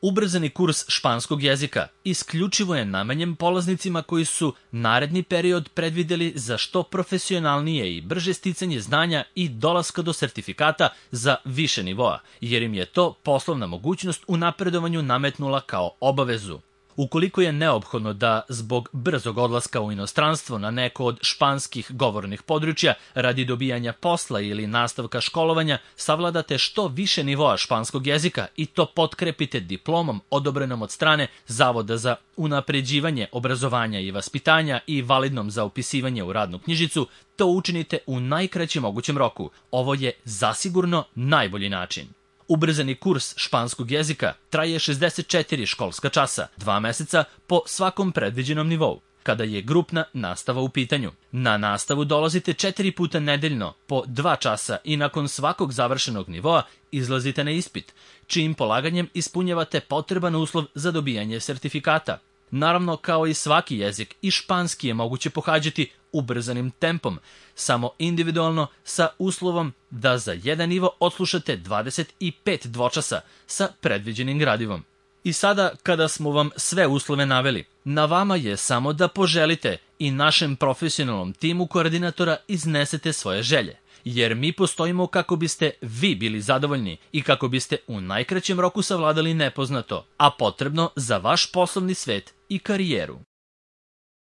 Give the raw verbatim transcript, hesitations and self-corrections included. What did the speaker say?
Ubrzani kurs španskog jezika isključivo je namenjen polaznicima koji su naredni period predvideli za što profesionalnije i brže sticanje znanja i dolaska do sertifikata za više nivoa, jer im je to poslovna mogućnost u napredovanju nametnula kao obavezu. Ukoliko je neophodno da zbog brzog odlaska u inostranstvo na neko od španskih govornih područja radi dobijanja posla ili nastavka školovanja, savladate što više nivoa španskog jezika i to potkrepite diplomom odobrenom od strane Zavoda za unapređivanje obrazovanja i vaspitanja i validnom za upisivanje u radnu knjižicu, to učinite u najkraćem mogućem roku. Ovo je zasigurno najbolji način. Ubrzani kurs španskog jezika traje šezdeset četiri školska časa, dva meseca po svakom predviđenom nivou, kada je grupna nastava u pitanju. Na nastavu dolazite četiri puta nedeljno po dva časa i nakon svakog završenog nivoa izlazite na ispit, čijim polaganjem ispunjavate potreban uslov za dobijanje sertifikata. Naravno, kao i svaki jezik, i španski je moguće pohađati ubrzanim tempom, samo individualno sa uslovom da za jedan nivo odslušate dvadeset pet dvočasa sa predviđenim gradivom. I sada, kada smo vam sve uslove naveli, na vama je samo da poželite i našem profesionalnom timu koordinatora iznesete svoje želje, jer mi postojimo kako biste vi bili zadovoljni i kako biste u najkraćem roku savladali nepoznato, a potrebno za vaš poslovni svet i karijeru.